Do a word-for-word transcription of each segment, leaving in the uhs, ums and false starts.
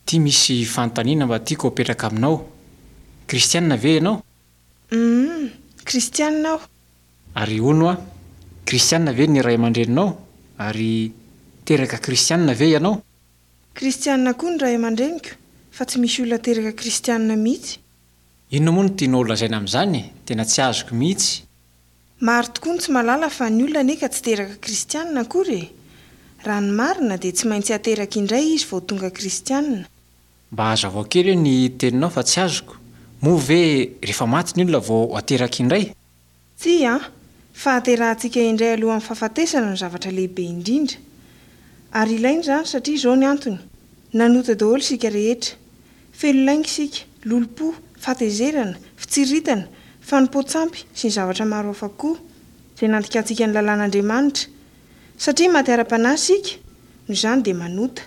Ity misy fanontaniana mba tiako apetraka aminao. Kristianina ve ianao? Humm, kristianina aho. Ary hono hoa, kristianina ve ny ray aman-dreninao? Ary teraka kristianina ve ianao? Kristianina koa ny ray aman-dreniko, fa tsy misy olona teraka kristianina mihitsy. Inona moa no tianao holazaina amin'izany e? Tena tsy azoko mihitsy. Maro tokoa ny tsy mahalala fa ny olona anie ka tsy teraka kristianina akory e! Raha ny marina dia tsy maintsy ateraka indray izy vao tonga kristianina. Mba hazavao kely hoe ny teninao fa tsy azoko. Moa ve rehefa maty ny olona vao ateraka indray? Tsia an! Fahaterahantsika indray alohan'ny fahafatesana no zavatra lehibe indrindra. Ary ilaina izany satria izao ny antony, nanota daholo isika rehetra. Feno lainga isika, lolompo, fahatezerana, fitsiriritana, fanompoan-tsampy sy ny zavatra maro hafa koa, izay nandikantsika ny lalàn'Andriamanitra. Satria maty ara-panahy isika, noho izany dia manota.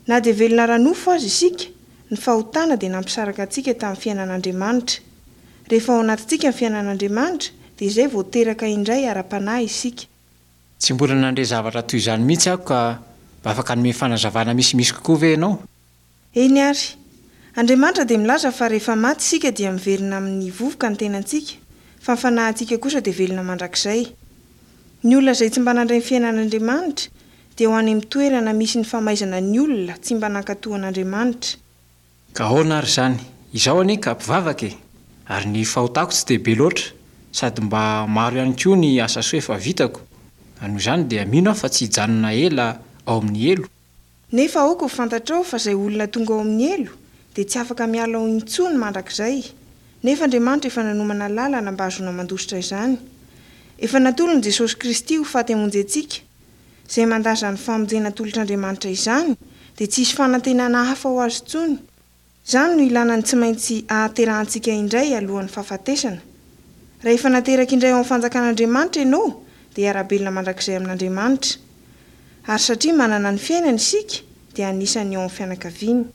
Na dia velona ara-nofo aza isika, ny fahotana dia nampisaraka antsika tamin'ny fiainan'Andriamanitra. Rehefa ao anatintsika ny fiainan'Andriamanitra, dia izay vao teraka indray ara-panahy isika. Tsy mbola nandre zavatra toy izany mihitsy aho ka mba afaka hanome fanazavana misimisy kokoa ve ianao? Eny ary. Andriamanitra dia milaza fa rehefa maty isika dia miverina amin'ny vovoka ny tenantsika, fa ny fanahintsika kosa dia velona mandrakizay. Ny olona izay tsy mba nandray ny fiainan'Andriamanitra dia ho any amin'ny toerana misy ny famaizana ny olona tsy mba nankatò an'Andriamanitra. Ka ahoana ary izany? Izaho anie ka mpivavaka e! Ary ny fahotako tsy dia be loatra, sady mba maro ihany koa ny asa soa efa vitako. Noho izany dia mino aho fa tsy hijanona ela ao amin'ny helo. Nefa aoka ho fantatrao fa izay olona tonga ao amin'ny helo dia tsy afaka miala ao intsony mandrakizay. Nefa Andriamanitra efa nanomana lalana mba hahazoana mandositra izany. Efa natolony Jesosy Kristy ho faty hamonjy antsika. Izay mandà izany famonjena atolotr'Andriamanitra izany dia tsy hisy fanantenana hafa ho azy intsony. Izany no ilana ny tsy maintsy ahaterahantsika indray alohan'ny fahafatesana. Raha efa nateraka indray ao amin'ny fanjakan'Andriamanitra ianao dia hiara-belona mandrakizay amin'Andriamanitra. Ary satria manana ny fiainany isika dia anisan'ny ao amin'ny fianakaviany.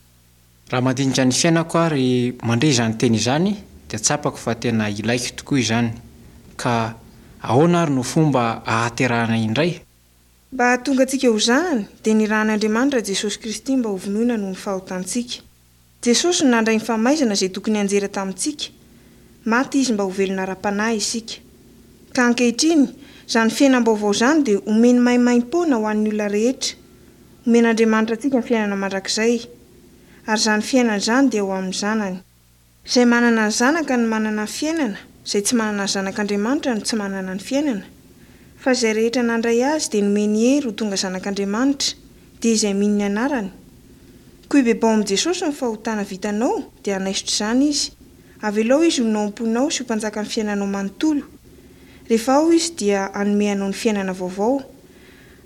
Raha mandinika ny fiainako aho ary mandre izany teny izany dia tsapako fa tena ilaiko tokoa izany. Ka ahoana ary no fomba ahaterahana indray? Mba hahatonga antsika ho zanany dia nirahan'Andriamanitra Jesosy Kristy mba hovonoina noho ny fahotantsika. Jesosy no nandray ny famaizana izay tokony hianjera tamintsika. Maty Izy mba ho velona ara-panahy isika. Ka ankehitriny, izany fiainam-baovao izany dia omeny maimaim-poana ho an'ny olona rehetra. Omen'Andriamanitra antsika ny fiainana mandrakizay. Ary izany fiainana izany dia ao amin'ny Zanany. Izay manana ny Zanaka no manana ny fiainana, izay tsy manana ny Zanak'Andriamanitra no tsy manana ny fiainana. Fa izay rehetra nandray Azy dia nomeny hery ho tonga zanak'Andriamanitra, dia izay mino ny anarany. Koa ibebao amin'i Jesosy ny fahotana vitanao dia hanaisotra izany Izy. Avelao Izy honina ao am-ponao sy ho mpanjakan'ny fiainanao manontolo. Rehefa ao Izy dia hanome anao ny fiainana vaovao.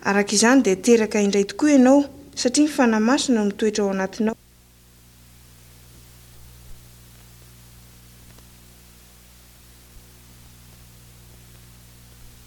Araka izany dia teraka indray tokoa ianao, satria ny Fanahy Masina no mitoetra ao anatinao.